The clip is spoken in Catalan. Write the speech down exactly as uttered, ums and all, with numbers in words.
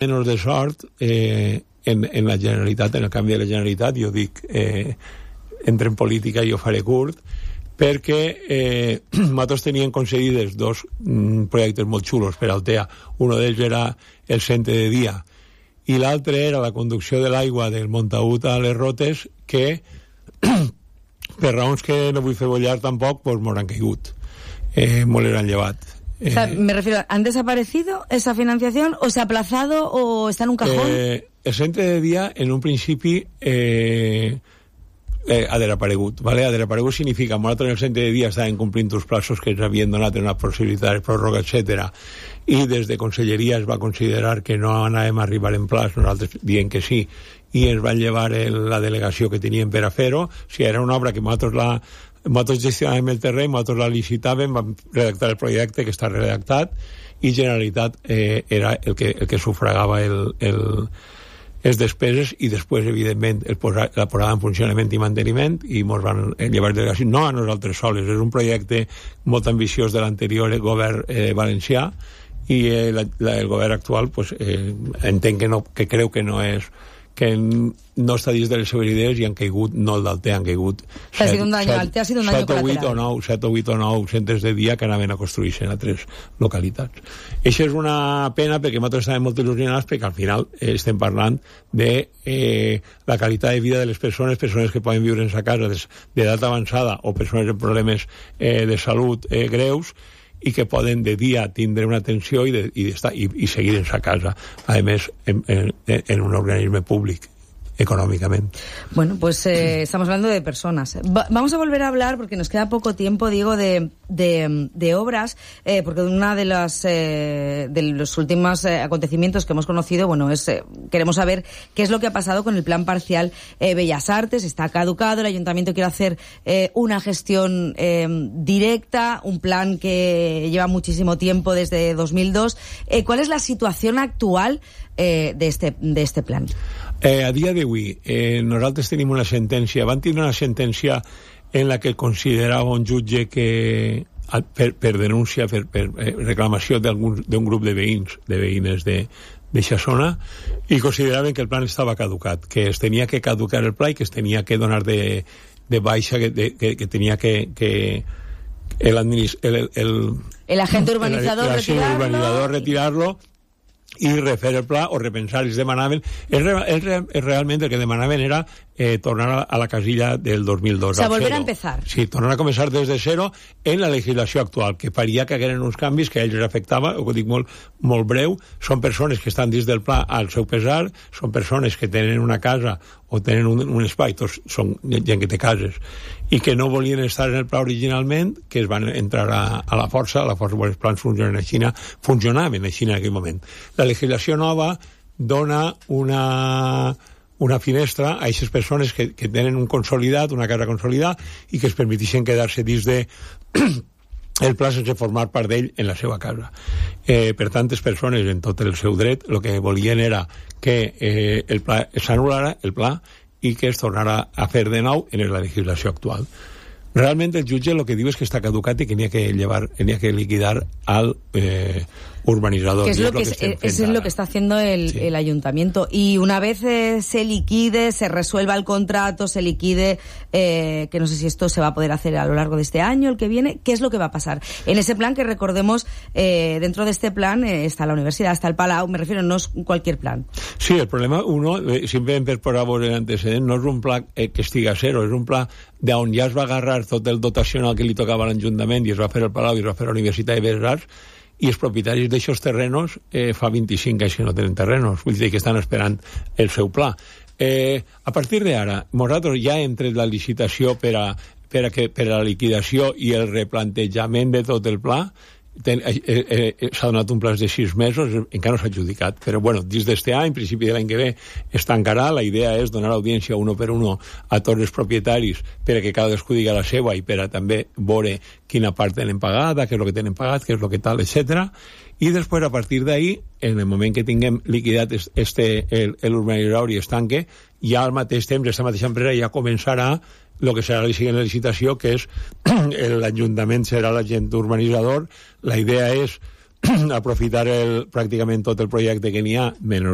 menys de sort eh, en, en la Generalitat, en el canvi de la Generalitat, jo dic, eh, entre en política i ho faré curt, perquè eh, nosaltres teníem concedides dos mm, projectes molt xulos per Altea. Un d'ells era el centre de dia i l'altre era la conducció de l'aigua del Montagut a les Rotes, que per raons que no vull fer bollar tampoc, pues m'ho han caigut, eh, m'ho l'han llevat. O sea, me refiero, ¿han desaparecido esa financiación o se ha aplazado o está en un cajón? Eh, el centre de dia, en un principi, eh, eh, ha desaparegut, ¿vale? Ha desaparegut significa que nosaltres en el centre de dia estaven complint els plaços que ens havien donat en una possibilitat de pròrroga, etcètera, i des de Conselleria es va considerar que no anàvem a arribar en plaç, nosaltres dient que sí, i ens van llevar el, la delegació que teníem per a fer-ho. O sigui, era una obra que nosaltres la nosaltres gestionàvem el terreny, nosaltres la licitàvem, vam redactar el projecte que està redactat, i Generalitat eh, era el que, el que sufragava el, el, les despeses, i després, evidentment, el posa, la posada en funcionament i manteniment, i ens van llevar delegació. No a nosaltres soles, és un projecte molt ambiciós de l'anterior govern eh, valencià, i eh, la, la, el govern actual pues, eh, entenc que, no, que creu que no és que no està dins de les seves idees, i han caigut, no el d'Altea, han caigut ha sido un daño, Altea ha sido un daño colateral. set o vuit o nou centres de dia que anaven a construir-se en altres localitats. Això és una pena, perquè nosaltres estàvem molt il·lusionats, perquè al final eh, estem parlant de eh, la qualitat de vida de les persones, persones que poden viure en sa casa d'edat avançada o persones amb problemes eh, de salut eh, greus, i que poden de dia tindre una atenció i, de, i, estar, i, i seguir en sa casa, a més en, en, en un organisme públic económicamente. Bueno, pues eh, estamos hablando de personas. Va, vamos a volver a hablar, porque nos queda poco tiempo, digo, de, de, de obras, eh, porque una de las eh, de los últimos eh, acontecimientos que hemos conocido, bueno, es eh, queremos saber qué es lo que ha pasado con el plan parcial eh, Bellas Artes. Está caducado, el ayuntamiento quiere hacer eh, una gestión eh, directa, un plan que lleva muchísimo tiempo, desde dos mil dos. Eh, ¿Cuál es la situación actual eh, de este de este plan? Eh, a dia d'avui, eh, nosaltres tenim una sentència, van tenir una sentència en la que considerava un jutge que, per, per denúncia, per, per eh, reclamació d'un grup de veïns, de veïnes de d'aquesta zona, i consideraven que el plan estava caducat, que es tenia que caducar el pla i que es tenia que donar de, de baixa, que, de, que, que tenia que, que el, el, el, el agente urbanizador el, el, retirarlo, el urbanizador retirarlo i refer el pla o repensar. Ells demanaven, ells, ells, ells realment el que demanaven era eh, tornar a, a la casilla del dos mil dos. O sea, volver a empezar. Sí, tornar a començar des de zero en la legislació actual, que faria que hagueren uns canvis que a ells els afectava, ho dic molt, molt breu. Són persones que estan dins del pla al seu pesar, són persones que tenen una casa o tenen un, un espai, tots són gent que té cases, i que no volien estar en el pla originalment, que es van entrar a, a la força, a la força, els plans funcionen a Xina, funcionaven a Xina en aquell moment. La legislació nova dona una, una finestra a aquestes persones que, que tenen un consolidat, una casa consolidada, i que es permetixen quedar-se dins de el pla sense formar part d'ell en la seva casa. Eh, per tantes persones, en tot el seu dret, el que volien era que eh, el pla s'anul·lara, el pla, i que es tornara a fer de nou en la legislació actual. Realment el jutge el que diu és que està caducat i que n'hi ha que llevar, n'hi ha que liquidar al eh, urbanizador. Que es lo que, es, es, es lo que está haciendo el, sí. el ayuntamiento. Y una vez eh, se liquide, se resuelva el contrato, se liquide, eh, que no sé si esto se va a poder hacer a lo largo de este año, el que viene, ¿qué es lo que va a pasar? En ese plan, que recordemos, eh, dentro de este plan eh, está la universidad, está el Palau, me refiero, no es cualquier plan. Sí, el problema, uno, eh, simplement per posar el antecedent, no és un pla eh, que estiga a zero, és un pla d'on ja es va agarrar tot el dotacional que li tocava a l'Ajuntament i es va fer el Palau i es va fer la Universitat de Belles Arts, i els propietaris d'aixòs terrenos eh, fa vint-i-cinc anys que no tenen terrenos, vull dir que estan esperant el seu pla. Eh, a partir d'ara, nosaltres ja hem tret la licitació per a, per a, que, per a la liquidació i el replantejament de tot el pla. Ten, eh, eh, s'ha donat un plaç de sis mesos, encara no s'ha adjudicat, però bueno, dins d'este any, en principi de l'any que ve es tancarà. La idea és donar audiència uno per uno a tots els propietaris per a que cadascú diga la seva i per a també veure quina part tenen pagada, què és el que tenen pagat, què és el que tal, etcètera. I després, a partir d'ahí, en el moment que tinguem liquidat este, el, l'urbanitzador i es tanque, ja al mateix temps, aquesta mateixa empresa ja començarà el que serà la siguiente licitació, que és l'Ajuntament serà l'agent urbanitzador. La idea és aprofitar el, pràcticament tot el projecte que n'hi ha, menys